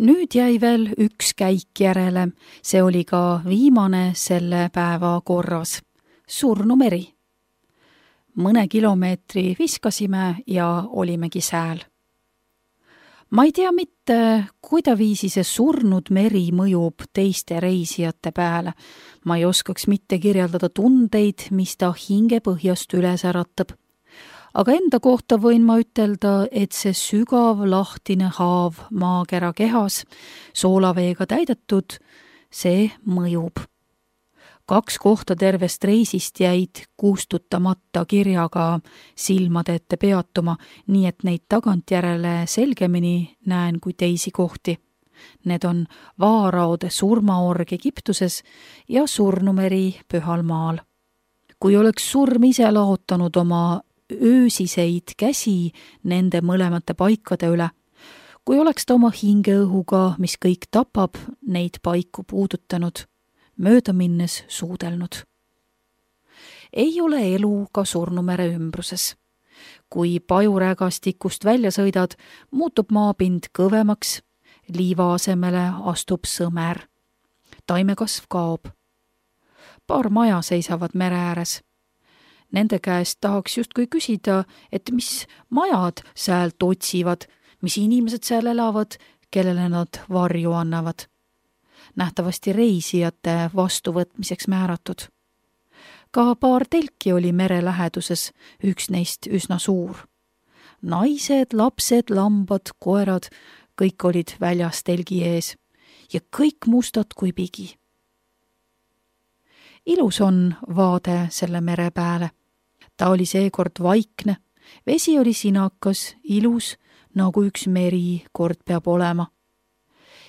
Nüüd jäi veel üks käik järele, see oli ka viimane selle päeva korras. Surnumeri. Mõne kilomeetri viskasime ja olimegi sääl. Ma ei tea mitte, kuidaviisi see surnud meri mõjub teiste reisijate peale. Ma ei oskaks mitte kirjeldada tundeid, mis ta hinge põhjast üles äratab. Aga enda kohta võin ma ütelda, et see sügav lahtine haav maakera kehas, soolaveega täidetud, see mõjub. 2 kohta tervest reisist jäid kustutamata kirjaga silmade ette peatuma, nii et neid tagantjärele selgemini näen kui teisi kohti. Need on Vaaraode surmaorg Egiptuses ja Surnumeri Pühal maal. Kui oleks surm ise laotanud oma öösiseid käsi nende mõlemate paikade üle, kui oleks ta oma hingeõhuga, mis kõik tapab, neid paiku puudutanud, mööda minnes suudelnud. Ei ole elu ka Surnumere ümbruses. Kui pajurägastikust välja sõidad, muutub maapind kõvemaks, liiva asemele astub sõmer. Taimekasv kaob. Paar maja seisavad mere ääres. Nende käest tahaks justkui küsida, et mis majad säält otsivad, mis inimesed seal elavad, kellele nad varju annavad. Nähtavasti reisijate vastuvõtmiseks määratud. Ka paar telki oli mere läheduses, üks neist üsna suur. Naised, lapsed, lambad, koerad, kõik olid väljas telgi ees ja kõik mustad kui pigi. Ilus on vaade selle mere pääle. Ta oli seekord vaikne, vesi oli sinakas, ilus, nagu üks meri kord peab olema.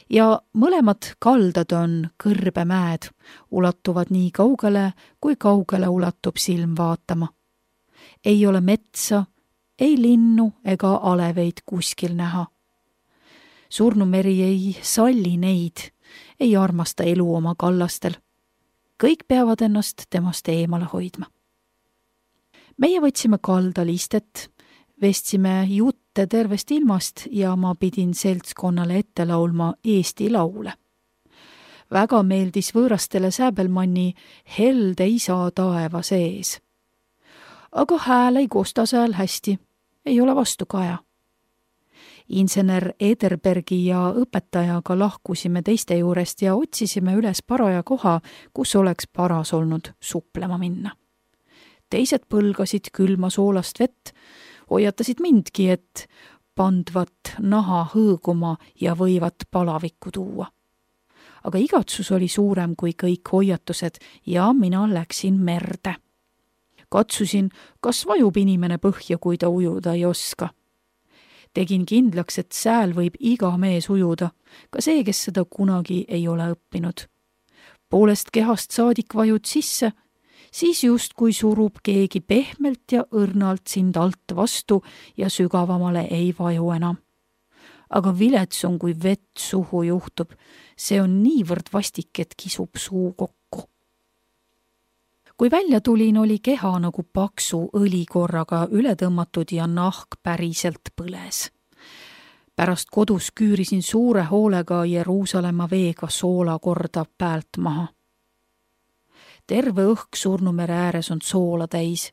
Ja mõlemad kaldad on kõrbemäed, ulatuvad nii kaugele, kui kaugele ulatub silm vaatama. Ei ole metsa, ei linnu ega aleveid kuskil näha. Surnumeri ei salli neid, ei armasta elu oma kallastel. Kõik peavad ennast temast eemale hoidma. Meie võtsime kaldal istet, vestsime jutte tervest ilmast ja ma pidin seltskonnale ette laulma Eesti laule. Väga meeldis võõrastele Säbelmanni Helde isa taeva sees. Aga hääl ei kosta seal hästi, ei ole vastu kaja. Insener Ederbergi ja õpetajaga lahkusime teiste juurest ja otsisime üles paraja koha, kus oleks paras olnud suplema minna. Teised põlgasid külma soolast vett, hoiatasid mindki, et pandvat naha hõõguma ja võivat palavikku tuua. Aga igatsus oli suurem kui kõik hoiatused ja mina läksin merde. Katsusin, kas vajub inimene põhja, kui ta ujuda ei oska. Tegin kindlaks, et sääl võib iga mees ujuda, ka see, kes seda kunagi ei ole õppinud. Poolest kehast saadik vajud sisse, siis just kui surub keegi pehmelt ja õrnalt sind alt vastu ja sügavamale ei vaju enam. Aga vilets on, kui vett suhu juhtub, see on niivõrd vastik, et kisub suu kokku. Kui välja tulin, oli keha nagu paksu õlikorraga üle tõmmatud ja nahk päriselt põles. Pärast kodus küürisin suure hoolega Jeruusalemma veega soola korda päält maha. Terve õhk Surnumere ääres on soola täis.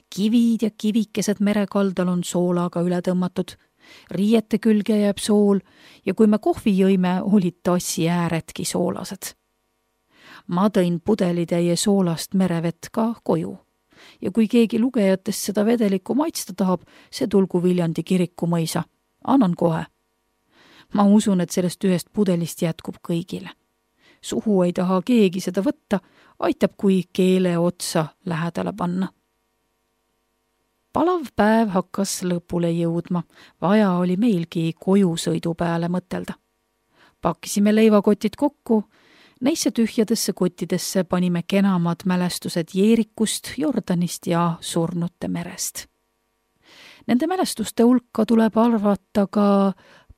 Kivid ja kivikesed merekaldal on soolaga üle tõmmatud. Riiete külge jääb sool ja kui me kohvi jõime, olid tassi ääredki soolased. Ma tõin pudelitäie soolast merevett ka koju. Ja kui keegi lugejatest seda vedelikku maitsta tahab, see tulgu Viljandi kiriku mõisa. Annan kohe. Ma usun, et sellest ühest pudelist jätkub kõigile. Suhu ei taha keegi seda võtta, aitab, kui keele otsa lähedale panna. Palav päev hakkas lõpule jõudma, vaja oli meilgi kojusõidu peale mõtelda. Pakkisime leivakotid kokku, neisse tühjadesse kottidesse panime kenamad mälestused Jeerikust, Jordanist ja Surnute merest. Nende mälestuste hulka tuleb arvata ka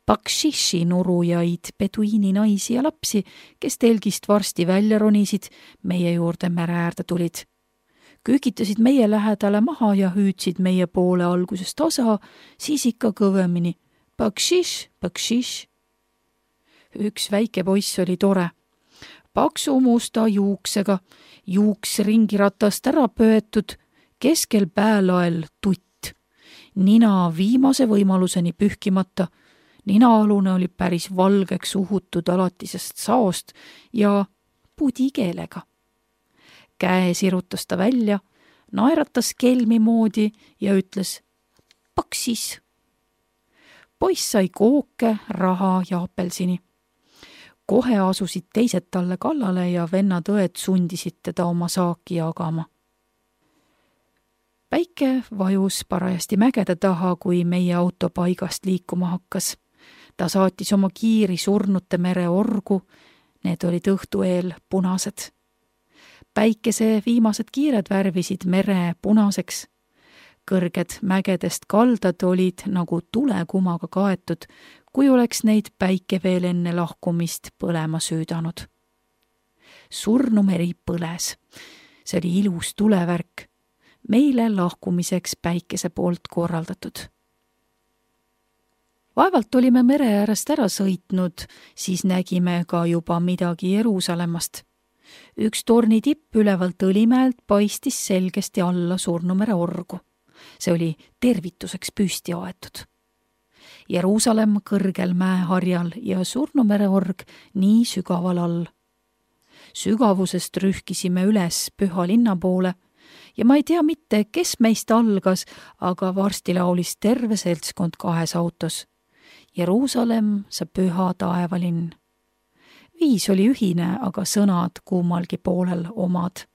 bakshishi nurujaid, peduiini naisi ja lapsi, kes telgist varsti välja ronisid, meie juurde mere äärde tulid. Küükitasid meie lähedale maha ja hüüdsid meie poole algusest osa, siis ikka kõvemini. Bakshish, bakshish. üks väike poiss oli tore. Paksu musta juuksega, juuks ringiratast ära pöetud, keskel päälael tutt. Nina viimase võimaluseni pühkimata, ninaalune oli päris valgeks uhutud alatisest saost ja pudikeelega. Käe sirutas ta välja, naeratas kelmi moodi ja ütles paksis. Poiss sai kooke, raha ja apelsini. Kohe asusid teised talle kallale ja vennad-õed sundisid teda oma saaki jagama. Päike vajus parajasti mägede taha, kui meie auto paigast liikuma hakkas. Ta saatis oma kiiri Surnute mere orgu, need olid õhtu eel punased. Päikese viimased kiired värvisid mere punaseks. Kõrged mägedest kaldad olid nagu tulekumaga kaetud, kui oleks neid päike veel enne lahkumist põlema süüdanud. Surnumeri põles. See oli ilus tulevärk, meile lahkumiseks päikese poolt korraldatud. Vaevalt olime mere äärest ära sõitnud, siis nägime ka juba midagi Jeruusalemmast. Üks torni tipp ülevalt Õlimäelt paistis selgesti alla Surnumere orgu. See oli tervituseks püsti aetud. Jeruusalemm kõrgel mäeharjal ja Surnumere org nii sügaval all. Sügavusest rühkisime üles püha linna poole ja ma ei tea mitte, kes meist algas, aga varsti laulis terve seltskond 2 autos. Jeruusalemm, sa püha taevalinn. Viis oli ühine, aga sõnad kummalgi poolel omad.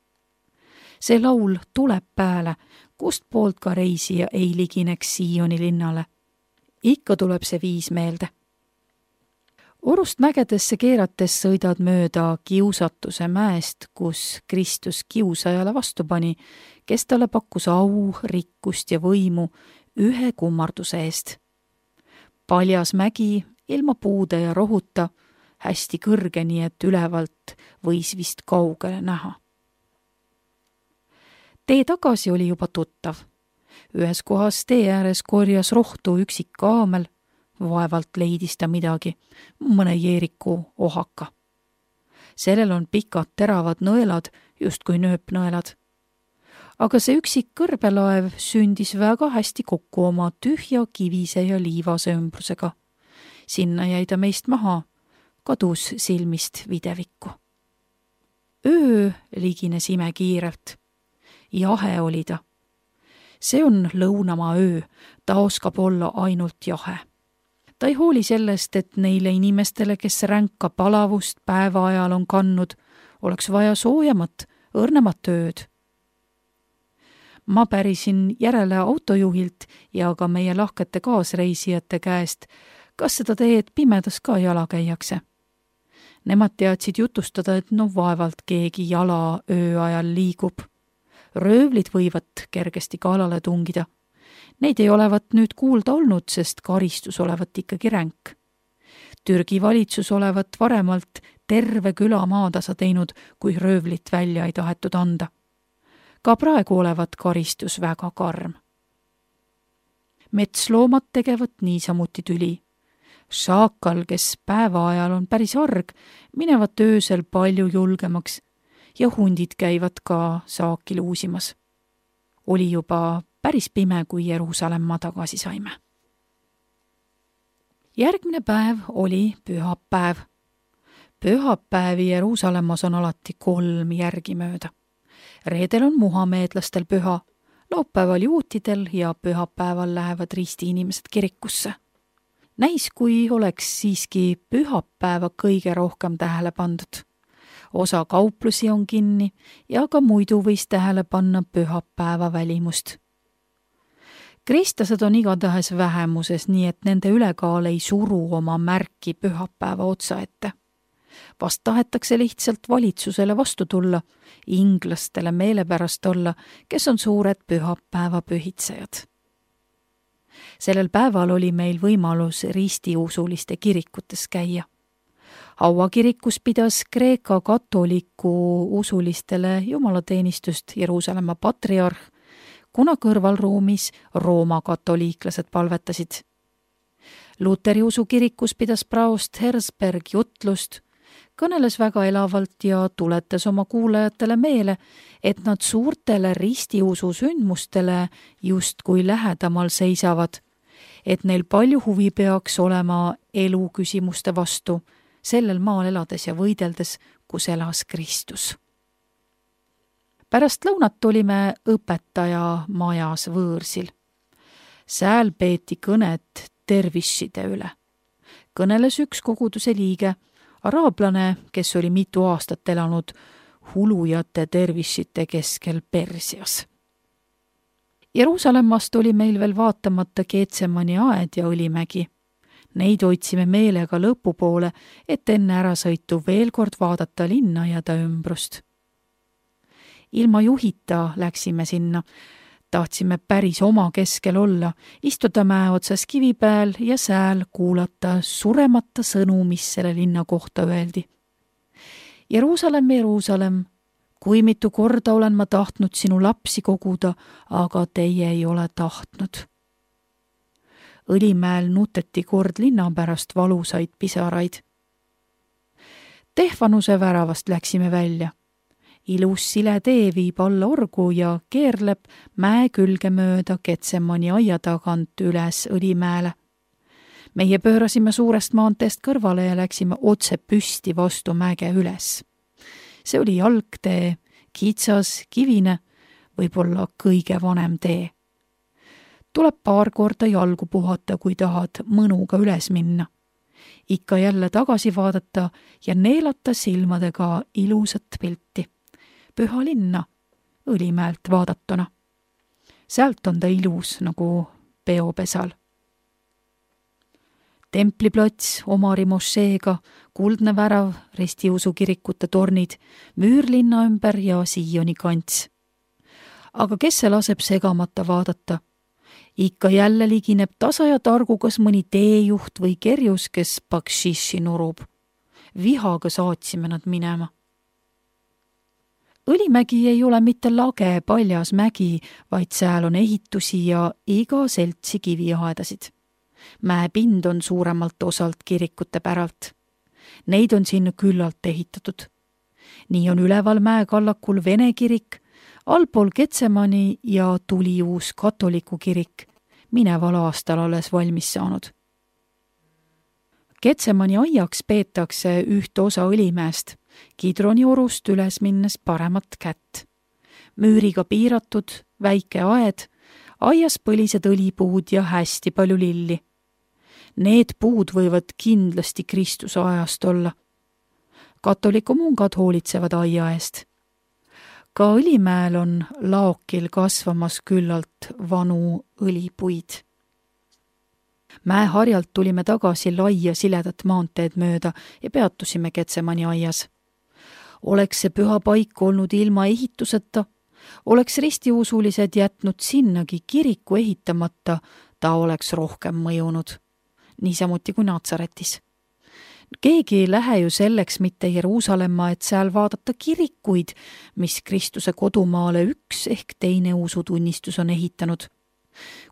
See laul tuleb pääle, kust poolt ka reisija ei ligineks Sioni linnale. Ikka tuleb see viis meelde. Orust mägedesse keerates sõidad mööda kiusatuse mäest, kus Kristus kiusajale vastu pani, kes talle pakkus au, rikkust ja võimu ühe kummarduse eest. Paljas mägi, ilma puude ja rohuta, hästi kõrge, nii et ülevalt võis vist kaugele näha. Tee tagasi oli juba tuttav. Ühes kohas tee ääres korjas rohtu üksik kaamel, vaevalt leidis ta midagi, mõne jeeriku ohaka. Sellel on pikad teravad nõelad, justkui nööpnõelad. Aga see üksik kõrbelaev sündis väga hästi kokku oma tühja kivise ja liivase ümbrusega. Sinna jäi ta meist maha, kadus silmist videvikku. Öö ligines imekiirelt. Jahe oli ta. See on lõunamaa öö, ta oskab olla ainult jahe. Ta ei hooli sellest, et neile inimestele, kes ränka palavust päeva ajal on kannud, oleks vaja soojamat, õrnemat ööd. Ma pärisin järele autojuhilt ja ka meie lahkete kaasreisijate käest, kas seda teed pimedas ka jala käiakse. Nemad teadsid jutustada, et vaevalt keegi jala öö ajal liigub. Röövlid võivad kergesti kaalale tungida. Neid ei olevat nüüd kuulda olnud, sest karistus olevat ikkagi ränk. Türgi valitsus olevat varemalt terve küla maatasa teinud, kui röövlit välja ei tahetud anda. Ka praegu olevat karistus väga karm. Metsloomad tegevat niisamuti tüli. Šaakal, kes päeva ajal on päris arg, minevat öösel palju julgemaks ja hundid käivad ka saaki luusimas. Oli juba päris pime, kui Jeruusalemma tagasi saime. Järgmine päev oli pühapäev. Pühapäevi Jeruusalemmas on alati 3 järgimööda. Reedel on muhameedlastel püha, laupäeval juutidel ja pühapäeval lähevad ristiinimesed kirikusse. Näis, kui oleks siiski pühapäeva kõige rohkem tähele pandud. Osa kauplusi on kinni ja ka muidu võis tähele panna pühapäeva välimust. Kristlased on igatahes vähemuses, nii et nende ülekaal ei suru oma märki pühapäeva otsa ette. Vast tahetakse lihtsalt valitsusele vastu tulla, inglastele meelepärast olla, kes on suured pühapäeva pühitsejad. Sellel päeval oli meil võimalus ristiusuliste kirikutes käia. Haua kirikus pidas Kreeka katoliku usulistele jumalateenistust Jeruusalemma patriarh, kuna kõrvalruumis Rooma katoliiklased palvetasid. Luteri usukirikus pidas praost Herzberg jutlust, kõneles väga elavalt ja tuletas oma kuulajatele meele, et nad suurtele ristiusu sündmustele justkui lähedamal seisavad, et neil palju huvi peaks olema elu küsimuste vastu, sellel maal elades ja võideldes, kus elas Kristus. Pärast lõunat olime õpetaja majas võõrsil. Sääl peeti kõnet tervisside üle. Kõneles üks koguduse liige, araablane, kes oli mitu aastat elanud hulujate tervissite keskel Persias. Jeruusalemmast oli meil veel vaatamata Getsemani aed ja Õlimägi. Neid otsime meelega lõpupoole, et enne ärasõitu veel kord vaadata linna ja ta ümbrust. Ilma juhita läksime sinna. Tahtsime päris oma keskel olla, istuda mäe otsas kivi peal ja sääl kuulata suremata sõnu, mis selle linna kohta öeldi. Jeruusalemm, Jeruusalemm, kui mitu korda olen ma tahtnud sinu lapsi koguda, aga teie ei ole tahtnud. Õlimäel nuteti kord linna pärast valusaid pisaraid. Tehvanuse väravast läksime välja. Ilus sile tee viib alla orgu ja keerleb mäe külge mööda Getsemani aia tagant üles Õlimäele. Meie pöörasime suurest maanteest kõrvale ja läksime otse püsti vastu mäge üles. See oli jalgtee, kitsas, kivine, võib-olla kõige vanem tee. Tuleb paar korda jalgu puhata, kui tahad mõnuga üles minna. Ikka jälle tagasi vaadata ja neelata silmadega ilusat pilti. Püha linna, Õlimäelt vaadatuna. Sealt on ta ilus nagu peopesal. Templiplats, Omari mošeega, kuldne värav, ristiusukirikute tornid, müür linna ümber ja Sioni kants. Aga kes see laseb segamata vaadata? Ikka jälle ligineb tasa ja targu kas mõni teejuht või kerjus, kes bakshishi nurub. Vihaga saatsime nad minema. Õlimägi ei ole mitte lage paljas mägi, vaid sääl on ehitusi ja iga seltsi kiviaedasid. Mäepind on suuremalt osalt kirikute päralt. Neid on sinna küllalt ehitatud. Nii on üleval mäekallakul Vene kirik, allpool Getsemani ja tuli uus katoliku kirik, mineval aastal alles valmis saanud. Getsemani aiaks peetakse üht osa Õlimäest, Kidroni orust üles minnes paremat kätt. Müüriga piiratud, väike aed, aias põlised õlipuud ja hästi palju lilli. Need puud võivad kindlasti Kristuse ajast olla. Katoliku mungad hoolitsevad aia eest. Ka Õlimäel on laokil kasvamas küllalt vanu õlipuid. Mäeharjalt tulime tagasi laia siledat maanteed mööda ja peatusime Getsemani aias. Oleks see püha paik olnud ilma ehituseta, oleks ristiusulised jätnud sinnagi kiriku ehitamata, ta oleks rohkem mõjunud. Niisamuti kui Natsaretis. Keegi ei lähe ju selleks mitte Jeruusalemma, et seal vaadata kirikuid, mis Kristuse kodumaale üks ehk teine usutunnistus on ehitanud.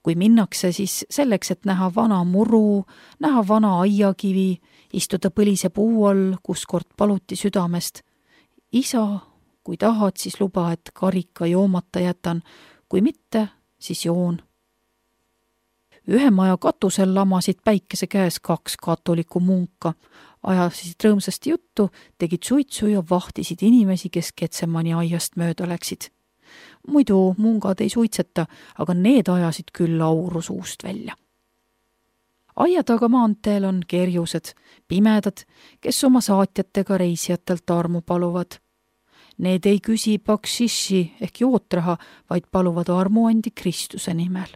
Kui minnakse, siis selleks, et näha vana muru, näha vana aiakivi, istuda põlise puu all, kus kord paluti südamest. Isa, kui tahad, siis luba, et karika joomata jätan, kui mitte, siis joon. Ühe maja katusel lamasid päikese käes 2 katoliku munka, ajasid rõõmsasti juttu, tegid suitsu ja vahtisid inimesi, kes Getsemani aiast mööda läksid. Muidu mungad ei suitseta, aga need ajasid küll auru suust välja. Aia taga maanteel on kerjused, pimedad, kes oma saatjatega reisijatelt armu paluvad. Need ei küsi bakshishi ehk jootraha, vaid paluvad armuandi Kristuse nimel.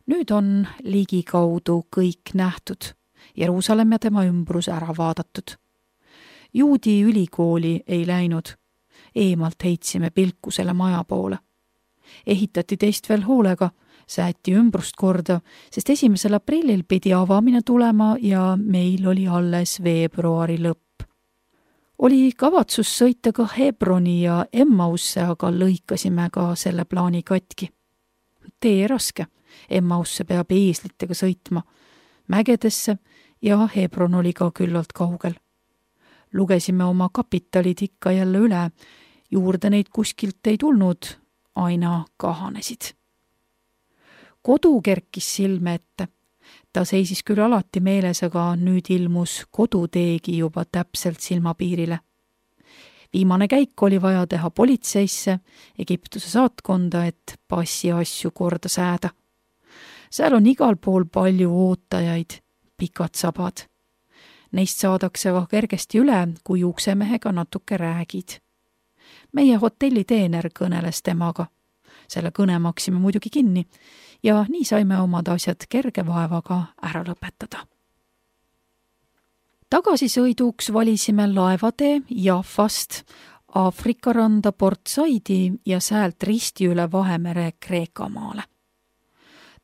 Nüüd on ligikaudu kõik nähtud, Jeruusalemm ja tema ümbrus ära vaadatud. Juudi ülikooli ei läinud, eemalt heitsime pilku selle maja poole. Ehitati teist veel hoolega, sääti ümbrust korda, sest 1. aprillil pidi avamine tulema ja meil oli alles veebruari lõpp. Oli kavatsus sõita ka Hebroni ja Emmausse, aga lõikasime ka selle plaani katki. Tee raske, Emmausse peab eeslitega sõitma, mägedesse ja Hebron oli ka küllalt kaugel. Lugesime oma kapitalid ikka jälle üle, juurde neid kuskilt ei tulnud, aina kahanesid. Kodu kerkis silme ette. Ta seisis küll alati meeles, aga nüüd ilmus koduteegi juba täpselt silmapiirile. Viimane käik oli vaja teha politseisse, Egiptuse saatkonda, et passi asju korda sääda. Seal on igal pool palju ootajaid, pikad sabad. Neist saadakse ka kergesti üle, kui uksemehega natuke räägid. Meie hotelliteener kõneles temaga. Selle kõne maksime muidugi kinni ja nii saime omad asjad kerge vaevaga ära lõpetada. Tagasisõiduks valisime laevatee Jaffast Aafrika randa Port Saidi ja säält risti üle Vahemere Kreekamaale.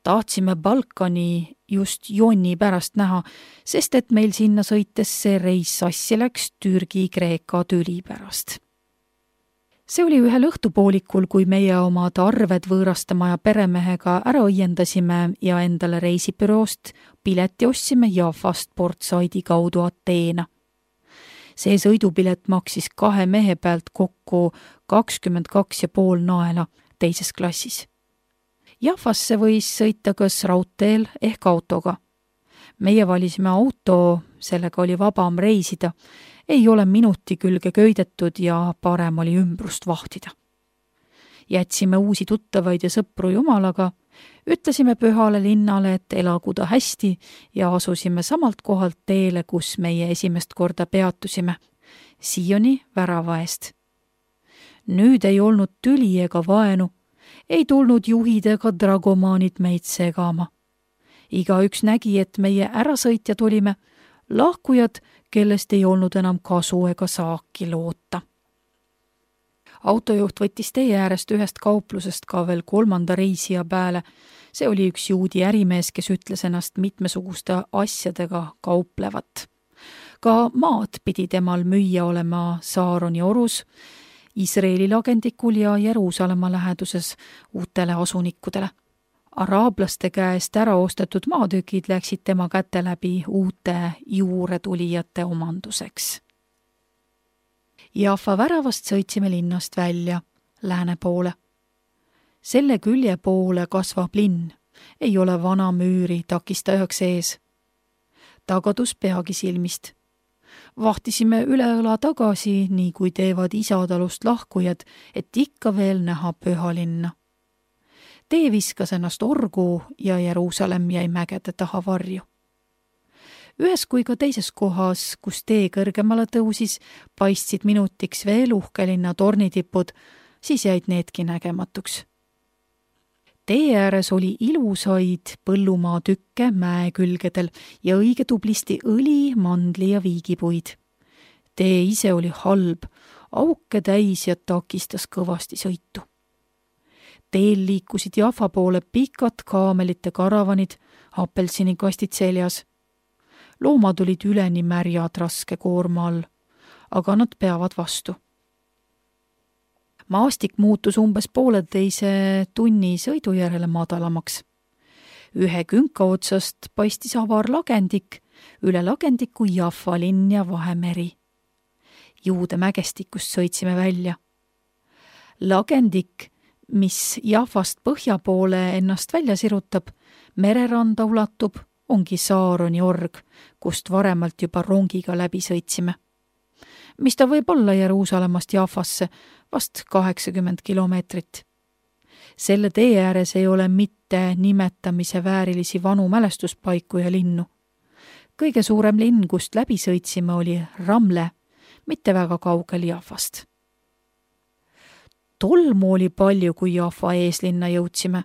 Tahtsime Balkani just jonni pärast näha, sest et meil sinna sõites see reis sassi läks Türgi-Kreeka tüli pärast. See oli ühel õhtupoolikul, kui meie omad arved võõrastama ja peremehega ära õiendasime ja endale reisibüroost pileti ostsime Jaffast Port Saidi kaudu Ateena. See sõidupilet maksis 2 mehe pealt kokku 22,5 naela teises klassis. Jaffasse võis sõita kas raudteel ehk autoga. Meie valisime auto, sellega oli vabam reisida, ei ole minuti külge köidetud ja parem oli ümbrust vahtida. Jätsime uusi tuttavaid ja sõpru jumalaga, ütlesime pühale linnale, et elagu ta hästi ja asusime samalt kohalt teele, kus meie esimest korda peatusime, Sioni värava eest. Nüüd ei olnud tüli ega vaenu, ei tulnud juhid ega dragomaanid meid segama. Igaüks nägi, et meie ärasõitjad olime, lahkujad, kellest ei olnud enam kasu ega saaki loota. Autojuht võttis tee äärest ühest kauplusest ka veel 3. reisija pääle. See oli üks juudi ärimees, kes ütles ennast mitmesuguste asjadega kauplevat. Ka maad pidi temal müüa olema Saaroni orus, Iisraeli lagendikul ja Jeruusalemma läheduses uutele asunikudele. Araablaste käest ära ostetud maatükid läksid tema käte läbi uute juuretulijate omanduseks. Jaffa väravast sõitsime linnast välja, lääne poole. Selle külje poole kasvab linn, ei ole vana müüri takistajaks ees. Tagadus peagi silmist. Vahtisime üle õla tagasi, nii kui teevad isatalust lahkujad, et ikka veel näha pühalinna. Tee viskas ennast orgu ja Jeruusalemm jäi mägede taha varju. Ühes kui ka teises kohas, kus tee kõrgemale tõusis, paistsid minutiks veel uhkelinna tornitipud, siis jäid needki nägematuks. Tee ääres oli ilusaid põllumaa tükke mäe külgedel ja õige tublisti õli, mandli ja viigipuid. Tee ise oli halb, auke täis ja takistas kõvasti sõitu. Teel liikusid Jaffa poole pikad kaamelite karavanid, apelsinikastid seljas. Loomad olid üleni märjad raske koorma all, aga nad peavad vastu. Maastik muutus umbes 1,5 tunni sõidu järele madalamaks. Ühe künka otsast paistis avar lagendik, üle lagendiku Jaffa linn ja Vahemeri. Juude mägestikust sõitsime välja. Lagendik, mis Jaffast põhja poole ennast välja sirutab, mereranda ulatub, ongi Saaroni org, kust varemalt juba rongiga läbi sõitsime. Mis ta võib olla Jeruusalemmast Jaffasse, vast 80 kilomeetrit. Selle tee ääres ei ole mitte nimetamise väärilisi vanu mälestuspaiku ja linnu. Kõige suurem linn, kust läbi sõitsime, oli Ramle, mitte väga kaugel Jaffast. Tolmu oli palju, kui Jaffa eeslinna jõudsime.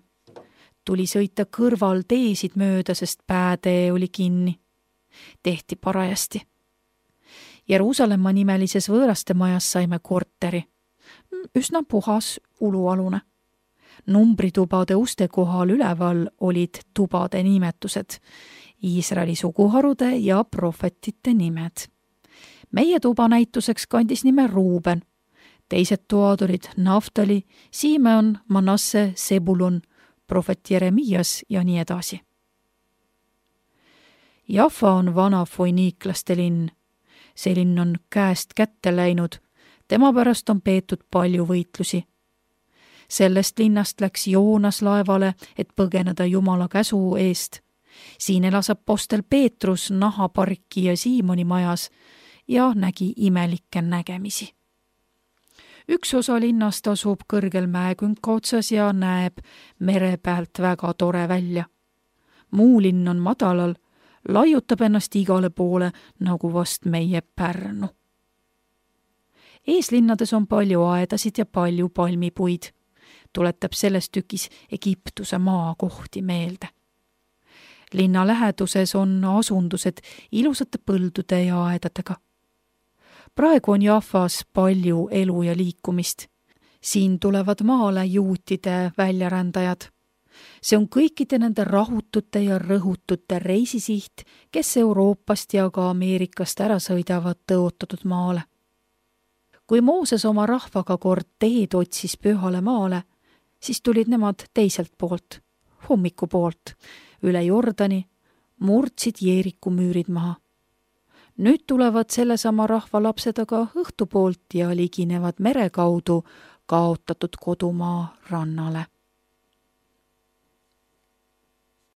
Tuli sõita kõrval teesid mööda, sest päätee oli kinni. Tehti parajasti. Jeruusalemma nimelises võõrastemajas saime korteri. Üsna puhas ulualune. Numbritubade uste kohal üleval olid tubade nimetused, Iisraeli suguharude ja prohvetite nimed. Meie tuba näituseks kandis nime Ruuben. Teised toad olid Naftali, Simeon, Manasse, Sebulun, prohvet Jeremias ja nii edasi. Jaffa on vana foiniiklaste linn. See linn on käest kätte läinud, tema pärast on peetud palju võitlusi. Sellest linnast läks Joonas laevale, et põgeneda Jumala käsu eest. Siin elas apostel Peetrus nahaparki ja Siimoni majas ja nägi imelikke nägemisi. Üks osa linnast asub kõrgel mäekünka otsas ja näeb mere pealt väga tore välja. Muu linn on madalal, laiutab ennast igale poole nagu vast meie Pärnu. Eeslinnades on palju aedasid ja palju palmipuid. Tuletab selles tükis Egiptuse maakohti meelde. Linna läheduses on asundused ilusate põldude ja aedadega. Praegu on Jaffas palju elu ja liikumist. Siin tulevad maale juutide väljarändajad. See on kõikide nende rahutute ja rõhutute reisisiht, kes Euroopast ja ka Ameerikast ära sõidavad tõotatud maale. Kui Mooses oma rahvaga kord teed otsis pühale maale, siis tulid nemad teiselt poolt, hommiku poolt, üle Jordani, murdsid Jeeriku müürid maha. Nüüd tulevad sellesama rahva lapsed aga õhtupoolt ja liginevad mere kaudu kaotatud kodumaa rannale.